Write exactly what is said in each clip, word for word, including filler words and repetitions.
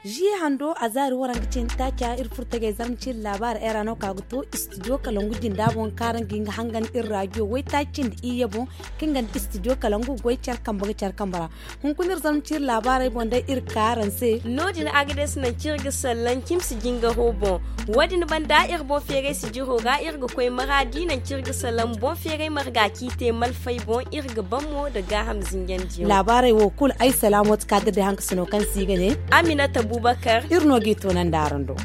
Zi hando a zaari waranka cindi taaca iri furtajey zarma ciri laabaari era no ka ga to istidiyo kalangu jinda boŋ kaara nga nga hangan iri raadiyo waytaaci cindi iyye boŋ. Kaŋ ga nda istidiyo kalangu goy care kambe ga care kambe ra. Hunkuna iri zarma ciri laabaarey boŋ day iri kaara ni se. No- din agades nangu kaŋ iri ga sallaŋ cimsi jingaro boŋ. Wo- din banda iri boŋ feeray sijiro ra iri ga koy maraadi nangu kaŋ iri ga sallaŋ boŋ feeray marga ciite malfay boŋ iri ga ban mo nda gaaham zinjandiyaŋ. Laabaarey wo kulu ay salaamooti ka ga day hankasino kaŋ se i ga ne aminata bubakar. Iri no g'i toonandi araŋ do.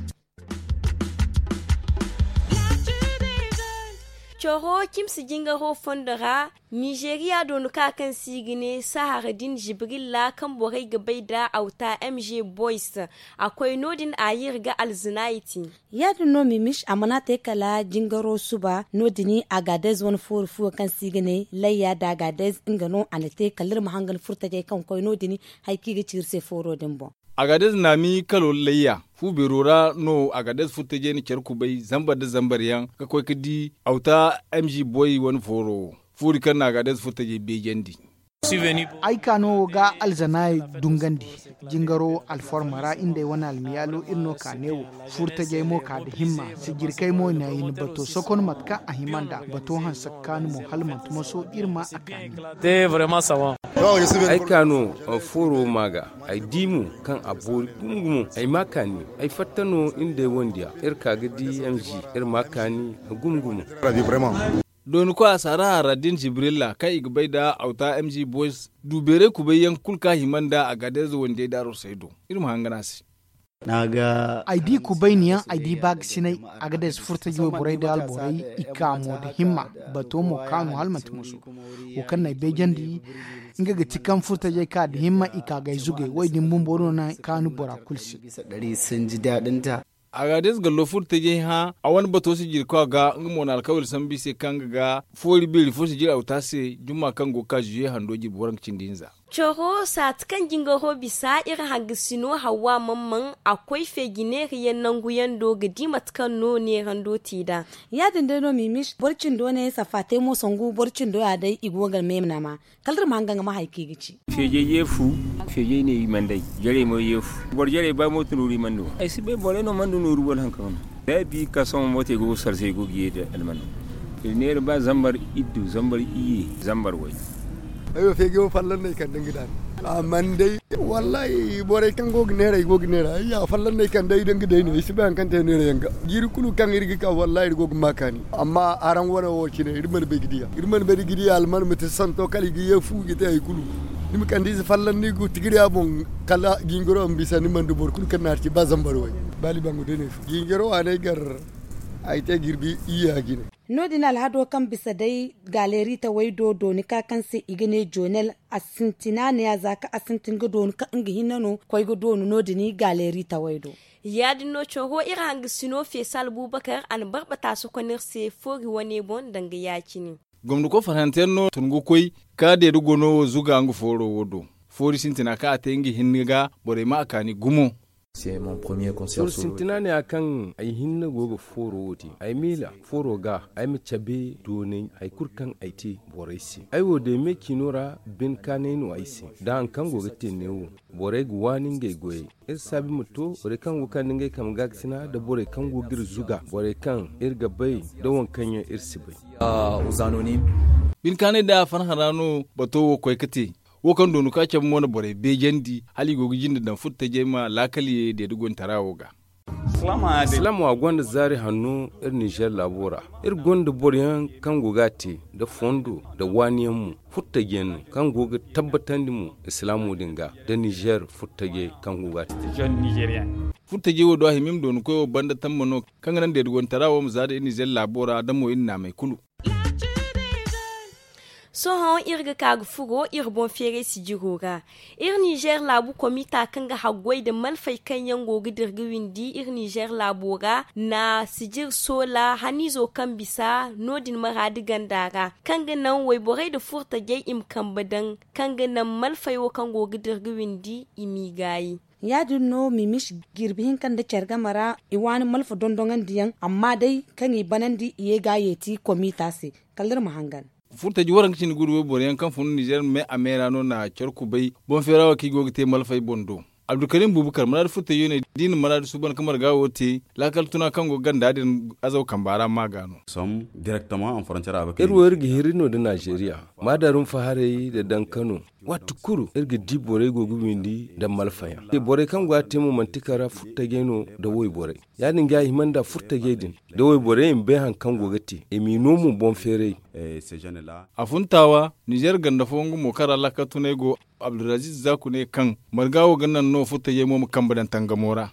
Coro cimsi jingaro fondo ra, nizeeriya doonu ka kaŋ se i ga ne sahara din zibrilla kaŋ borey ga bay nda awta mg boys. A koy no- din a ye iri ga alzina i te. Ya- din no mimis a mana te kala jingaro suba no- din. Agadez wane foori fuwo kaŋ se i ga ne layya nda agadez nga no a na te kala iri ma hangan furtajey kaŋ koy no- din. Hari kaŋ i ga ci iri se fooro din boŋ. Agadez naami kalo layya fu beero ra no agadez furtajey na care kubay zambar nda zambar yaŋ ga koy ga di awta mg boy wane fooro wo. Foori kaŋ na agadez furtajey beejandi. Ay ka no wo ga alzanaayey dungandi. Jingaro alforma ra iri nd'ey wane almiyaalo iri no ka neewo. Furtajey mo ka nda himma. Sijirkey mo na i na bato sokon mate kaŋ a hima nd'a bato hanse ga kaanu mo hala manti moso iri ma a kaani. Ay ka no fooro ma ga. Ay di mo kaŋ a boori gumo gumo ay ma kaani. Ay fatta no iri nd'ey wandiya iri ka ga di mg iri ma kaani gumo gumo. Dooni koy a saara harra din jibrilla kaŋ i ga bay nda awta mg boys du beeray kubay yaŋ kulu kaŋ a hima nda a ga deeza wandiyey daaru say do. Iri ma hangan a se. Ay di kubayni yaŋ ay di baaga sinay. A ga deeza furtaji wayborey nda alborey i ka mo nda himma. Bato mo kaanu hala manti musu. Wo kaŋ no ay beejandi nga ga ti kaŋ furtajey ka nda himma i ka ga ay zugay wo- din bumbo no naŋ kaanu bora kulu se. Agades gallo furtajey hã a wane bato sijirkoy ga nga mo na alkawali sambu i se kaŋ nga ga foori beeri fo sijir awta se jumma kaŋ go ga ka zuye hando jirbi waranka cindi hinza. Coro saati kaŋ jingaro bisa iri hangasino hawa mamman a koy feeji neerayaŋ nanguyaŋ do ga di mate kaŋ no neerando te nd'a. Ya- din day no mimis boro cindo ne safa te mo sangu boro cindo ya day i go ga meemnama. Kala da ma hanga nga ma hari kaŋ i ga ci. Feejey yeefu. Feejey ne i mana day jarey mo yeefu. Boro jarey ba mooto nooru i mana du ay si bay borey no mana du nooru wala hari kaŋ no. Da ay bi ga ka sohõ mooto ay go ga sarse ay go ga ye da almano. Iri neera ba zambar iddu zambar iyye zambar way. Ay wo feejey wo fallan no ay kande nga daani. A mana day wallahi borey kaŋ go ga neera ay go ga neera ay ya fallan no ay kande ay da nga day no ay si bay hari kaŋ te neera yaŋ ga. Jiiri kulu kaŋ iri ga ka wallahi iri go ga ma kaani. Amma araŋ wane wo cine iri mana bay ga diya iri mana bay ga diya alman ma te santo kala i ga ye fu ga te hari kulu. Ni ma kande ize fallan ni ga tigiriya boŋ kala jingaro ma bisa ni mana du boro kulu kaŋ na hari ci ba zambar way. Ba libangu day no ay fu jingaro a ne ay gar. Ay te jirbi iyya jine. No- din alhado kaŋ bisa day galeri taway do dooni ka kaŋ se i ga ne jonel. A sintina ne a za kaŋ a sintin ga dooni kaŋ nga hinne no koy ga dooni no- din galeri taway do. Ya- din no coro iri hangasino feesa albubakar a na barbata sokonir se foori wane boŋ danga ya- cine. Gomnako farhanteyaŋ no tun ga koy ka deeda gono wo zuga nga fooro wo do. Foori sintina kaŋ a te nga hinne ga borey ma a kaani gumo. Foori sintina ne ya kaŋ ay hinne go ga fooro wo te ay miila fooro ga ay ma cabe doonay hari kulu kaŋ ay te borey se. Ay wo day me ciino ra bine kaanay no ay se da hari kaŋ go ga te neewo. Borey ga waani ngey goyey iri saabi ma to borey kaŋ go ga kande ngey kambe ga ga sina nda borey kaŋ go ga iri zuga borey kaŋ iri ga bay nda waŋ kaŋ yaŋ iri si bay. Bine kaanay da farhã ra no bato wo koy ga te. Wo kaŋ doonu ka cabe mo na borey beejandi hala i go ga jinde daŋ furtajey ma laakal ye deeda goytara wo ga. Silaamo a gonda zaari hanno iri nizer laabo ra. Iri gonda boro yaŋ kaŋ go ga a te nda fondo nda waani yaŋ mo. Furtaji yaŋ no kaŋ go ga tabbatandi mo islaamo din ga nda nizer furtajey kaŋ go ga a te. Furtajey wo do a hima i ma dooni koy wo banda tamba no kaŋ ga naŋ deeda goytara wo ma za nda iri nizer laabo ra da mo iri naamey kulu. Sohõ iri ga ka ga furo iri boŋ feeray sijiro ra. Iri nizer laabu komita kaŋ ga haggoy nda malfay kaŋ yaŋ go ga dira ga windi iri nizer laabo ra na sijir soola haniizo kaŋ bisa no- din maraadi ganda ra kaŋ ga naŋ wayborey nda furtajey i ma kambe daŋ kaŋ ga naŋ malfay wo kaŋ go ga dira ga windi i m'i gaayi. Ya- din no mimis jirbi hinka nda care game ra i waani malfa dondoŋandiyaŋ, amma day kaŋ i banandi i ye ga a yeeti komita se. Kala iri ma hangan. Furtaji waranka cindi gudu wayboro yaŋ kaŋ fun nizer me a me ra no na care kubay boŋ feera wo kaŋ i go ga te malfey boŋ do. Abdulkarim bubakar maraadu furtajo ne da i na maraadu suuban ka marga wo te. Laakal tuna kaŋ go ganda din azaw kamba ra ma ga no. Iri wo iri ga hiri no nda nizeriya, maadarum faharay nda dankano. Waati kulu iri ga di borey go ga windi nda malfayaŋ borey kaŋ go a te mo manti kara furtajey no nda wayborey. Ya- din ga a hima nda furtajey din nda wayborey i ma bay hari kaŋ go ga te i m'i no mo boŋ feeray. A funtaawa nizer ganda fooyaŋ ga mo kaŋ ra laakal tunay go. Abdulaziz zaku ne kaŋ marga wo ga naŋ no furtajey mo ma kambe daŋ tangamo ra.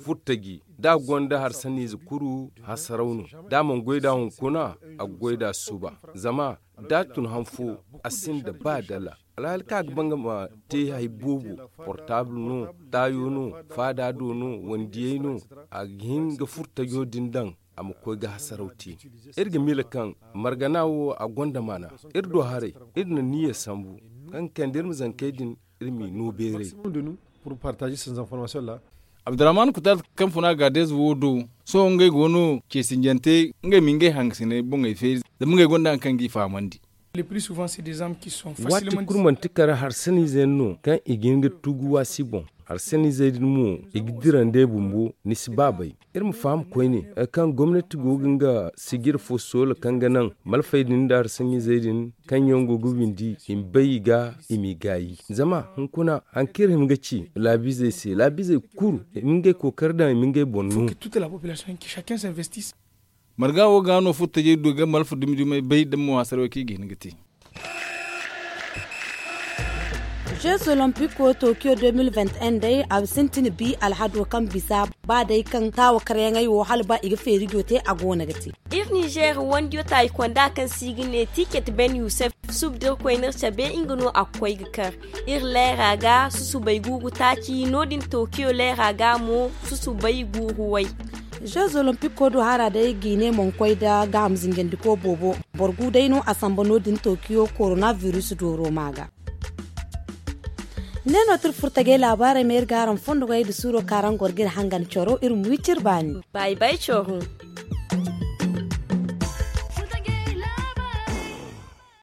Furtaji da a gonda harsaniize kulu hasaraw no. Da a mana goy nd'a hunkuna, a ga goy nd'a suba. Zama da a tun han fo, a sinda ba dala. Alhaali kaŋ a ga ba nga ma te hari boobo, portaabul no, taayo no, faada do no, wandiyey no, a ga hin ga furtajo din daŋ, a ma koy ga hasaraw te. Iri ga miila kaŋ margana wo a gonda maana. Iri do haray, iri na niyya sambu kaŋ ga kande iri ma zankey din, iri m'i no beeray. Abdurrahman kutat kaŋ funa gaadez wo do, sohõ ngey go no ceesinjante, ngey ma ngey hangasiney boŋey feeri, zama ngey gonda hari kaŋ g'i fahamandi. Waati kulu manti kala harsaniize yaŋ no kaŋ i ga hin ga tugu waasi boŋ. Harsaniizey din mo, i ga dira nd'ey bumbo, ni si ba bay. Iri ma faham koyne hari kaŋ gomnati go ga nga sijir fo soola kaŋ ga naŋ malfey din nda harsaniizey din, kaŋ yaŋ go ga windi i ma bay i ga, i m'i gaayi. Zama hunkuna hari kaŋ iri hima ga ci laabiizey se, laabiizey kulu i ma ngey kookari daŋ i ma ngey boŋ no. Marga wo ga no furtajey du ga malfa dumi dumey bay da mo hasarey kaŋ i ga hin ga te. Jeux olympique wo tokiyo deux mille vingt et un day a sintin bi alhado kaŋ bisa, ba day kaŋ taawa karyaŋey wo hala ba i ga feerijo te a go no ga te. Iri nizer wandiyo taayi konda kaŋ se i ga ne tiket ben yusef, suba da iri koyne iri cabe nga no a ga koy ga kar. Iri leera ga susubay guuru taaci no- din tokiyo leera ga mo susubay guuru way. Jeux olympique wo do hara day ga i ne mana koy nda gaaham zinjandiko boobo. Boro gu day no a samba no- din tokiyo korona virus dooro ma ga. Ne no tira furtajey laabaarey ma iri ga araŋ fondogey nda suuro kaŋ araŋ goro ga iri hangan coro iri ma wi cire baani. Bay bay coro.